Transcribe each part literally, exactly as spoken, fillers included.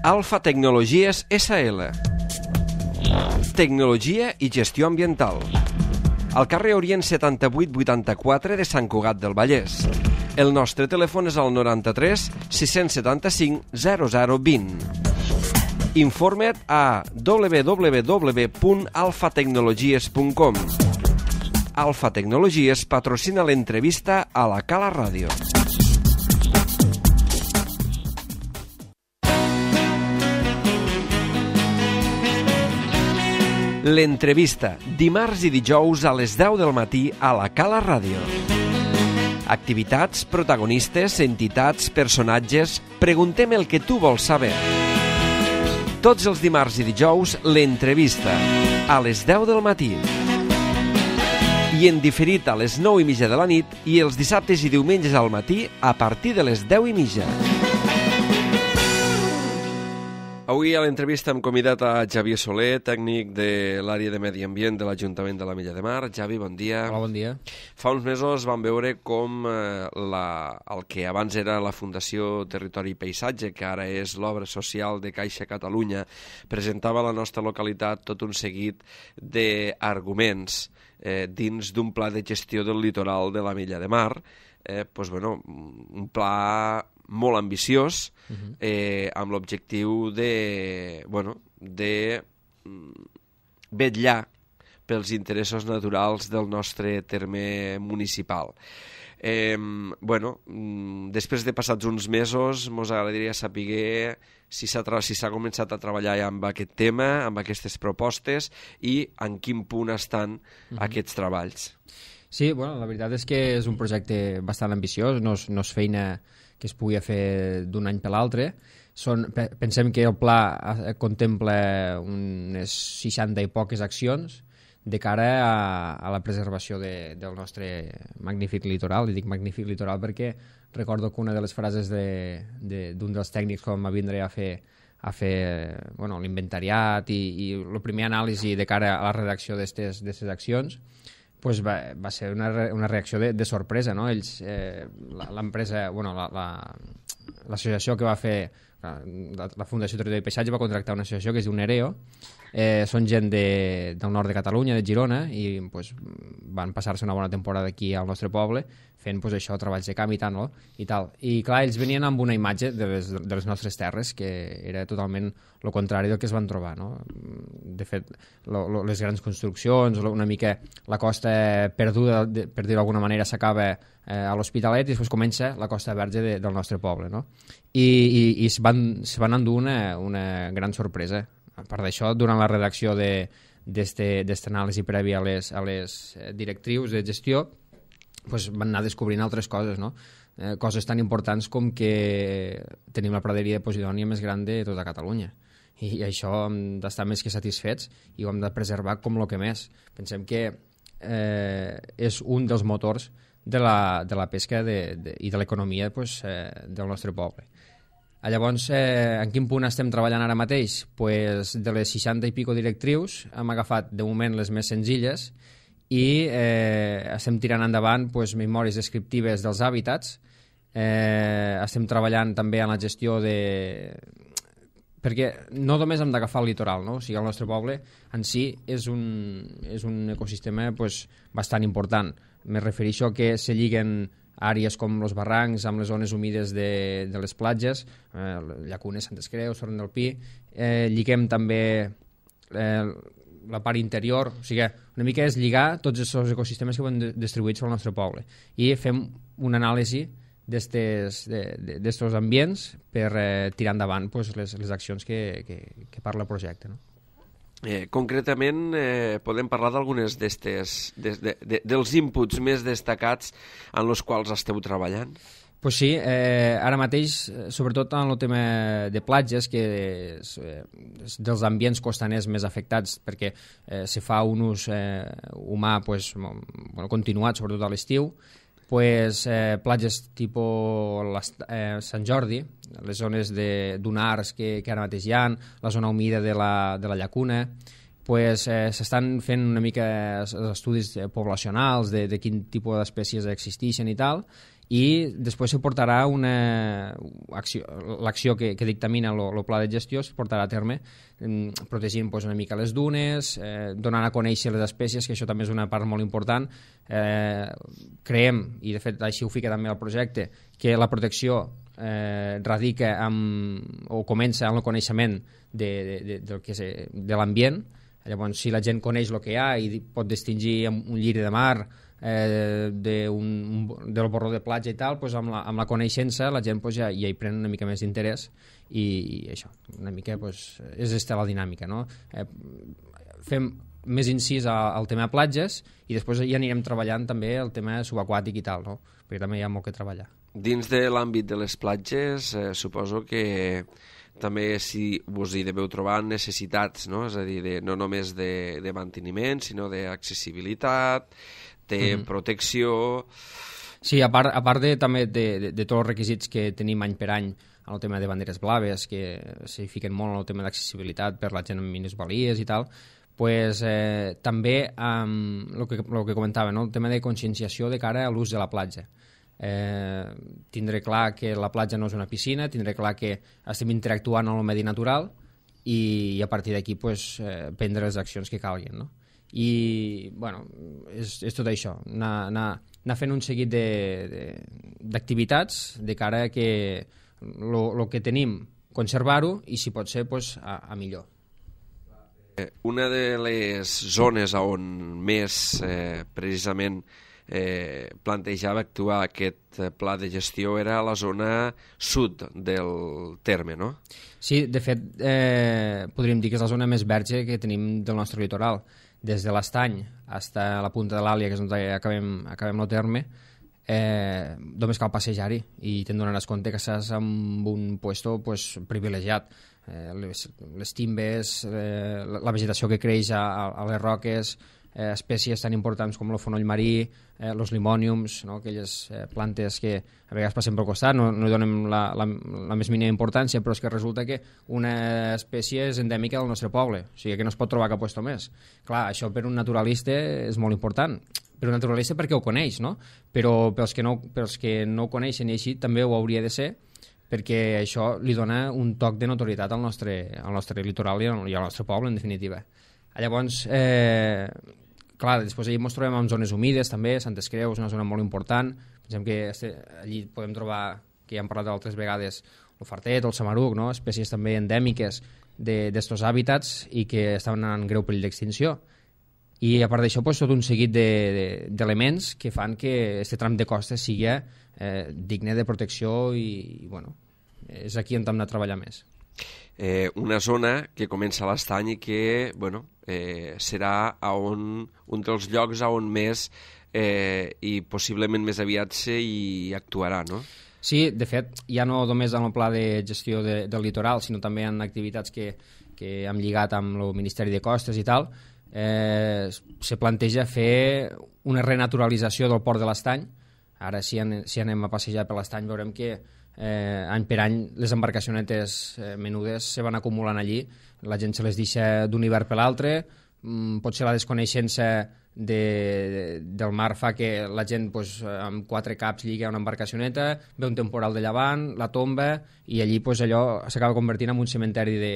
Alfa Tecnologies essa ele. Tecnologia i gestió ambiental. Al carrer Orient setanta-vuit vuitanta-quatre de Sant Cugat del Vallès. El nostre telèfon és el noranta-tres sis setanta-cinc zero zero vint. Informa't a w w w punt alfa tecnologies punt com. Alfa Tecnologies patrocina l'entrevista a la Cala Ràdio. L'entrevista, dimarts i dijous a les deu del matí a la Cala Ràdio. Activitats, protagonistes, entitats, personatges... Preguntem el que tu vols saber. Tots els dimarts i dijous, l'entrevista, a les deu del matí. I en diferit a les nou i mitja de la nit i els dissabtes i diumenges al matí a partir de les deu i mitja. Avui a l'entrevista hem convidat a Xavier Soler, tècnic de l'àrea de Medi Ambient de l'Ajuntament de l'Ametlla de Mar. Xavi, bon dia. Hola, bon dia. Fa uns mesos vam veure com eh, la, el que abans era la Fundació Territori i Paisatge, que ara és l'obra social de Caixa Catalunya, presentava a la nostra localitat tot un seguit d'arguments eh, dins d'un pla de gestió del litoral de l'Ametlla de Mar. Eh, pues, bueno, un pla molt ambiciós, uh-huh. eh, amb l'objectiu de, bueno, de vetllar pels interessos naturals del nostre terme municipal. Eh, bueno, després de passats uns mesos, ens agradaria saber si s'ha si s'ha començat a treballar amb aquest tema, amb aquestes propostes, i en quin punt estan uh-huh. aquests treballs. Sí, bueno, la veritat és que és un projecte bastant ambiciós, no és, no és feina que es pugui fer d'un any per l'altre. Són, pensem que el pla contempla unes seixanta i poques accions de cara a, a la preservació de, del nostre magnífic litoral. I dic magnífic litoral perquè recordo que una de les frases de, de, d'un dels tècnics quan va vindre a fer, a fer bueno, l'inventariat i, i la primera anàlisi de cara a la redacció d'aquestes accions, pues va, va ser una, una reacció de, de sorpresa, no? Ells, eh, l'empresa, bueno, la, la, l'associació que va fer, la, la Fundació Territori i Paisatge va contractar una associació que es diu Nereo, eh, són gent de, del nord de Catalunya, de Girona, i pues, van passar-se una bona temporada aquí al nostre poble, fent pues, això, treballs de camp i tal, no? I tal. I clar, ells venien amb una imatge de les, de les nostres terres que era totalment el contrari del que es van trobar, no? De fet, lo, lo, les grans construccions, una mica la costa perduda, de, per dir-ho d'alguna manera, s'acaba eh, a l'Hospitalet i després comença la costa verge de, del nostre poble, no? I, i, i es van, se van endur una, una gran sorpresa. A part d'això, durant la redacció d'aquesta anàlisi prèvia a les, a les directrius de gestió, pues van anar descobrint altres coses, no? Eh, coses tan importants com que tenim la praderia de Posidònia més gran de tota Catalunya. I, i això hem d'estar més que satisfets i ho hem de preservar com el que més. Pensem que eh, és un dels motors de la, de la pesca de, de, i de l'economia pues, eh, del nostre poble. Llavors, eh, en quin punt estem treballant ara mateix? Pues de les seixanta i pico directrius hem agafat de moment les més senzilles i eh, estem tirant endavant pues, memòries descriptives dels hàbitats, eh, estem treballant també en la gestió de... perquè no només hem d'agafar el litoral, no? O sigui, el nostre poble en si és un, és un ecosistema pues, bastant important. Me refereixo a que se lliguen àrees com els barrancs amb les zones humides de, de les platges, eh, Llacunes, Santes Creus, Torrent del Pi, eh, lliguem també eh, la part interior, o sigui, una mica és lligar tots els ecosistemes que van distribuïts al nostre poble i fem una anàlisi d'estos ambients per eh, tirar endavant pues, les, les accions que, que, que parla el projecte, no? Eh, concretament, eh, podem parlar d'algunes d'estes, de, de, de, dels inputs més destacats en els quals esteu treballant? Pues sí, eh, ara mateix, sobretot en el tema de platges, que és, eh, és dels ambients costaners més afectats, perquè eh, se fa un ús eh, humà pues, bueno, continuat, sobretot a l'estiu, pues, eh, platges tipus eh, Sant Jordi, les zones de dunars que, que ara mateix hi ha, la zona humida de la, de la llacuna, pues, eh, s'estan fent una mica estudis poblacionals de, de quin tipus d'espècies existeixen i tal, i després se portarà una acció, l'acció que, que dictamina el pla de gestió es portarà a terme eh, protegint pues, una mica les dunes, eh, donant a conèixer les espècies, que això també és una part molt important. Eh, creiem, i de fet així ho fica també el projecte, que la protecció eh, radica amb, o comença amb el coneixement de, de, de, de, de, de l'ambient. Llavors, si la gent coneix el que hi ha i pot distingir un lliri de mar eh, de un, un, del borró de platja i tal, pues amb, la, amb la coneixença la gent pues, ja, ja hi pren una mica més d'interès i, i això, una mica pues, és esta la dinàmica, no? Eh, fem més incís al tema platges i després ja anirem treballant també el tema subaquàtic i tal, no? Perquè també hi ha molt que treballar. Dins de l'àmbit de les platges, eh, suposo que també si vos hi deveu trobar necessitats, no? És a dir, de, no només de, de manteniment, sinó d'accessibilitat, de mm-hmm. protecció... Sí, a part, a part de, també de, de, de tots els requisits que tenim any per any en el tema de banderes blaves, que s'hi fiquen molt en el tema d'accessibilitat per la gent amb minusvalies i tal, pues, eh, també um, el, que, el que comentava, no? El tema de conscienciació de cara a l'ús de la platja. Eh, tindré clar que la platja no és una piscina, tindré clar que estem interactuant amb el medi natural i, i a partir d'aquí pues, eh, prendre les accions que calguin, no? I bueno, és, és tot això, anar, anar, anar fent un seguit d'activitats de, de, de cara a que el que tenim conservar-ho i si pot ser pues, a, a millor. Una de les zones on més eh, precisament eh, plantejava actuar aquest pla de gestió era la zona sud del terme, no? Sí, de fet, eh, podríem dir que és la zona més verge que tenim del nostre litoral. Des de l'Estany fins a la punta de l'Àlia, que és on acabem, acabem el terme, eh, només cal passejar-hi i te'n donaràs compte que estàs en un puesto pues, privilegiat. Eh, les, les timbes, eh, la vegetació que creix a, a les roques, eh, espècies tan importants com el fonoll marí, eh, els limòniums, no? Aquelles eh, plantes que a vegades passen pel costat, no, no hi donem la, la, la més mínima importància, però és que resulta que una espècie és endèmica del nostre poble, o sigui que no es pot trobar cap puesto més. Clar, això per un naturalista és molt important, per un naturalista perquè ho coneix, no? Però pels que no, pels que no ho coneixen i així també ho hauria de ser, perquè això li dona un toc de notorietat al nostre, al nostre litoral i al, i al nostre poble, en definitiva. Llavors, eh, clar, després allí ens trobem en zones humides també, Santes Creus, una zona molt important, pensem que este, allí podem trobar, que ja hem parlat altres vegades, el fartet, el samaruc, no? Espècies també endèmiques d'estos hàbitats i que estan en greu perill d'extinció. I a part d'això, pues, tot un seguit d'elements de, de, que fan que aquest tram de costa sigui eh, digne de protecció i, i bueno, és aquí on hem de treballar més. Eh, una zona que comença a l'Estany i que bueno, eh, serà a on, un dels llocs on més eh, i possiblement més aviat s'hi actuarà, no? Sí, de fet, ja no només en el pla de gestió de, del litoral, sinó també en activitats que, que hem lligat amb el Ministeri de Costes i tal, eh, se planteja fer una renaturalització del port de l'Estany. Ara, si, an, si anem a passejar per l'Estany, veurem que eh, any per any les embarcacionetes eh, menudes se van acumulant allí, la gent se les deixa d'un hivern per l'altre, mm, potser la desconeixença de, de, del mar fa que la gent pues, amb quatre caps lliga una embarcacioneta, ve un temporal de llevant, la tomba i allí pues, allò s'acaba convertint en un cementeri de,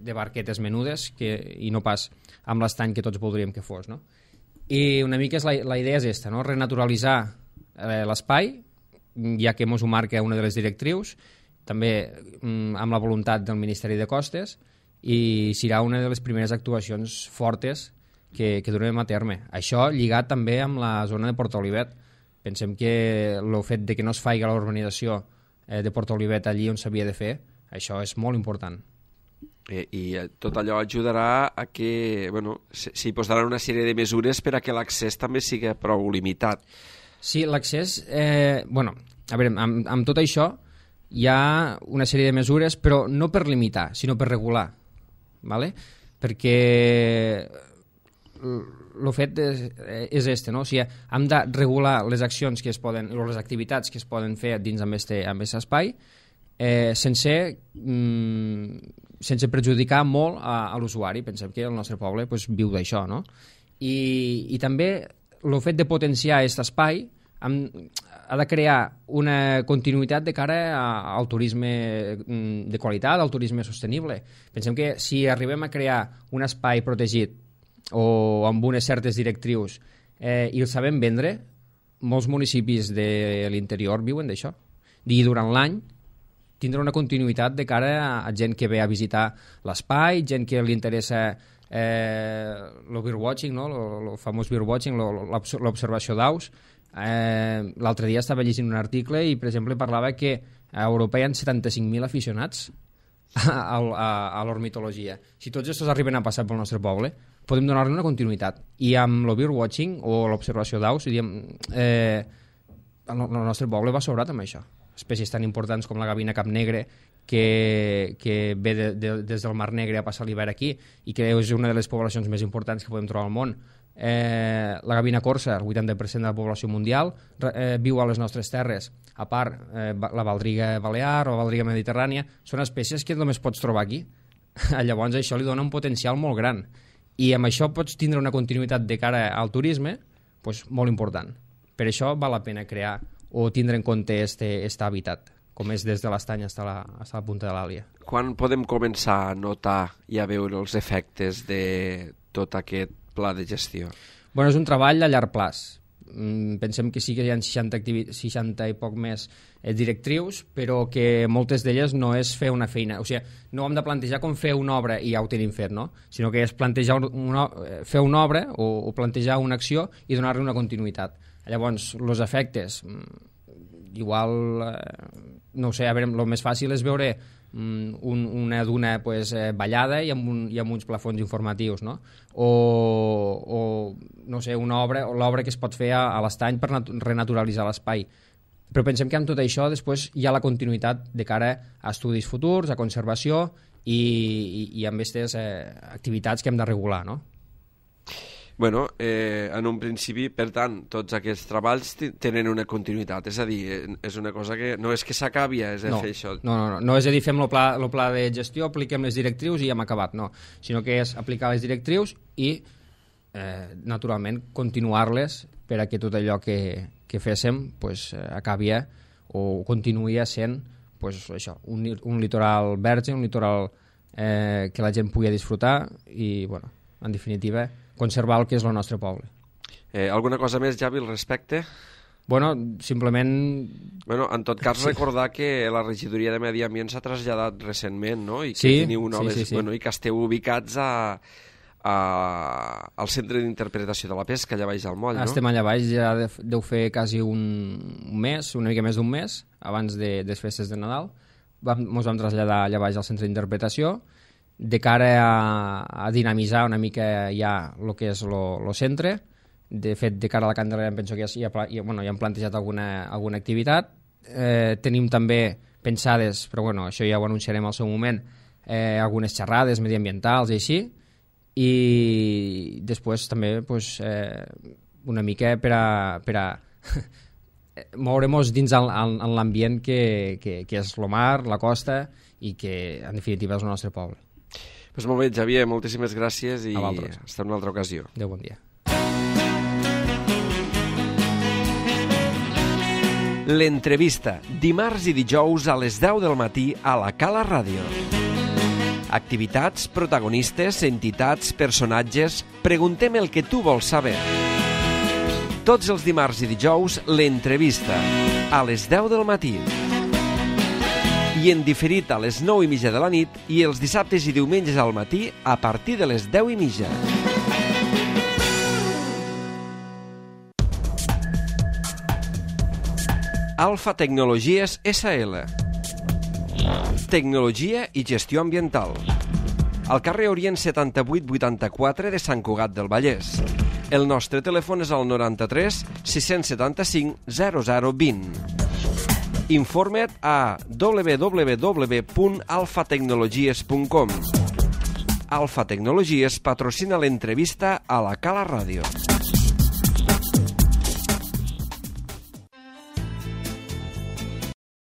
de barquetes menudes que, i no pas amb l'estany que tots voldríem que fos, no? I una mica és la, la idea és aquesta, no? Renaturalitzar eh, l'espai, ja que mos ho marca una de les directrius, també mm, amb la voluntat del Ministeri de Costes, i serà una de les primeres actuacions fortes que, que durem a terme. Això lligat també amb la zona de Port Olivet. Pensem que el fet de que no es faci la urbanització eh, de Port Olivet allí on s'havia de fer, això és molt important. Eh, I tot allò ajudarà a que bueno, s'hi posaran una sèrie de mesures per a que l'accés també sigui prou limitat. Sí, l'accés... Eh, bueno, a veure, amb, amb tot això hi ha una sèrie de mesures, però no per limitar, sinó per regular. ¿Vale? Perquè el fet és, és este, no? O sigui, hem de regular les accions que es poden, o les activitats que es poden fer dins amb este, amb este espai eh, sense, mm, sense perjudicar molt a, a l'usuari. Pensem que el nostre poble pues, viu d'això, no? I, i també el fet de potenciar aquest espai ha de crear una continuïtat de cara al turisme de qualitat, al turisme sostenible. Pensem que si arribem a crear un espai protegit o amb unes certes directrius eh, i el sabem vendre, molts municipis de l'interior viuen d'això. I durant l'any tindrà una continuïtat de cara a gent que ve a visitar l'espai, gent que li interessa eh, el birdwatching, no? el famós birdwatching, l'observació d'aus. Eh, L'altre dia estava llegint un article i, per exemple, parlava que a Europa hi ha setanta-cinc mil aficionats a, a, a l'ornitologia. Si tots aquests arriben a passar pel nostre poble, podem donar-li una continuïtat. I amb el birdwatching o l'observació d'aus, eh, el, el nostre poble va sobrat amb això. Espècies tan importants com la gavina cap negre, que, que ve de, de, des del Mar Negre a passar l'hivern aquí i que és una de les poblacions més importants que podem trobar al món. Eh, la gavina corsa, el vuitanta per cent de la població mundial, eh, viu a les nostres terres. A part, eh, la baldriga balear o la baldriga mediterrània són espècies que només pots trobar aquí. Llavors això li dona un potencial molt gran. I amb això pots tindre una continuïtat de cara al turisme pues, molt important. Per això val la pena crear o tindre en compte este, este hàbitat, com és des de l'estany fins a la, fins a la punta de l'Àlia. Quan podem començar a notar i a veure els efectes de tot aquest pla de gestió? Bueno, és un treball a llarg plaç. Pensem que sí que hi ha seixanta, seixanta i poc més directrius, però que moltes d'elles no és fer una feina. O sigui, no hem de plantejar com fer una obra i ja ho tenim fet, no? Sinó que és plantejar una, fer una obra o, o plantejar una acció i donar-li una continuïtat. Llavors, els efectes, igual, no ho sé, a veure, el més fàcil és veure un, una duna pues, eh, ballada i amb, un, i amb uns plafons informatius, no? O, o no sé, una obra, l'obra que es pot fer a, a l'estany per renaturalitzar l'espai. Però pensem que amb tot això després hi ha la continuïtat de cara a estudis futurs, a conservació i, i, i amb aquestes eh, activitats que hem de regular, no? Bueno, eh, en un principi, per tant, tots aquests treballs tenen una continuïtat, és a dir, és una cosa que no és que s'acabi, és de no, fer això. No, no, no, no és a dir, fem el pla, el pla de gestió, apliquem les directrius i hem acabat, no, sinó que és aplicar les directrius i, eh, naturalment, continuar-les per a que tot allò que, que féssim pues, acabi o continuï sent pues, això, un, un litoral verge, un litoral eh, que la gent pugui disfrutar i, bueno, en definitiva, conservar el que és el nostre poble. Eh, alguna cosa més, Javi, al respecte? Bueno, simplement... Bueno, en tot cas, sí. Recordar que la regidoria de Medi Ambient s'ha traslladat recentment, no? I que sí, teniu noves... sí, sí, sí. Bueno, i que esteu ubicats a, a, al Centre d'Interpretació de la Pesca, allà baix al moll, no? Estem allà baix, ja deu fer quasi un, un mes, una mica més d'un mes, abans de, de les festes de Nadal. Vam, ens vam traslladar allà baix al Centre d'Interpretació, de cara a, a dinamitzar una mica ja el que és el centre. De fet, de cara a la Candelera penso que ja, ja, bueno, ja hem plantejat alguna, alguna activitat. Eh, tenim també pensades, però bueno, això ja ho anunciarem al seu moment, eh, algunes xerrades mediambientals i així, i després també pues, eh, una mica per a, per a moure-nos dins el, el, en l'ambient que, que, que és el mar, la costa, i que en definitiva és el nostre poble. Pues molt bé, Xavier, moltíssimes gràcies i hasta una altra ocasió. Adéu, bon dia. L'entrevista, dimarts i dijous a les deu del matí a la Cala Ràdio. Activitats, protagonistes, entitats, personatges... Preguntem el que tu vols saber. Tots els dimarts i dijous, l'entrevista, a les deu del matí. I en diferit a les nou i mitja de la nit i els dissabtes i diumenges al matí a partir de les deu i mitja. Alfa Tecnologies essa ele. Tecnologia i gestió ambiental. Al carrer Orient setanta-vuit vuitanta-quatre de Sant Cugat del Vallès. El nostre telèfon és el noranta-tres sis setanta-cinc zero zero vint. Informa't a w w w punt alfa tecnologies punt com. Alfa Tecnologies patrocina l'entrevista a la Cala Ràdio.